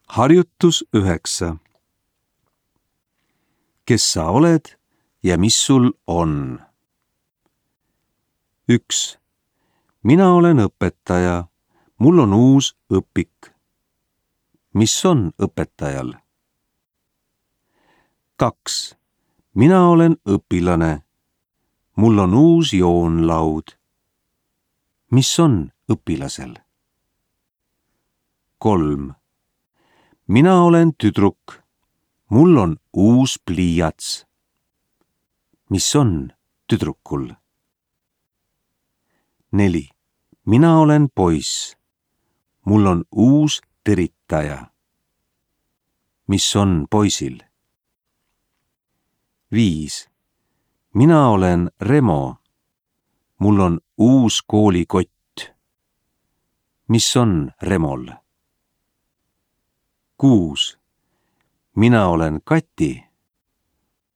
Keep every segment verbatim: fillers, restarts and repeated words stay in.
Harjutus üheksa. Kes sa oled ja mis sul on? üks. Mina olen õpetaja. Mul on uus õpik. Mis on õpetajal? kaks. Mina olen õpilane. Mul on uus joonlaud. Mis on õpilasel? kolm. Mina olen tüdruk. Mul on uus pliiats. Mis on tüdrukul? neli. Mina olen poiss. Mul on uus teritaja. Mis on poisil? viis. Mina olen Remo. Mul on uus koolikott. Mis on Remol? kuus. Mina olen Kati.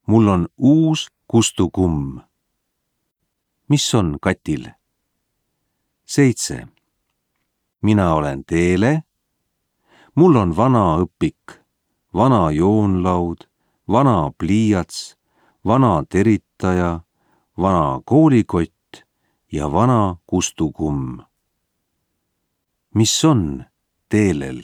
Mul on uus kustukumm. Mis on Katil? seitse. Mina olen Teele. Mul on vana õpik, vana joonlaud, vana pliiats, vana teritaja, vana koolikott ja vana kustukumm. Mis on Teelel?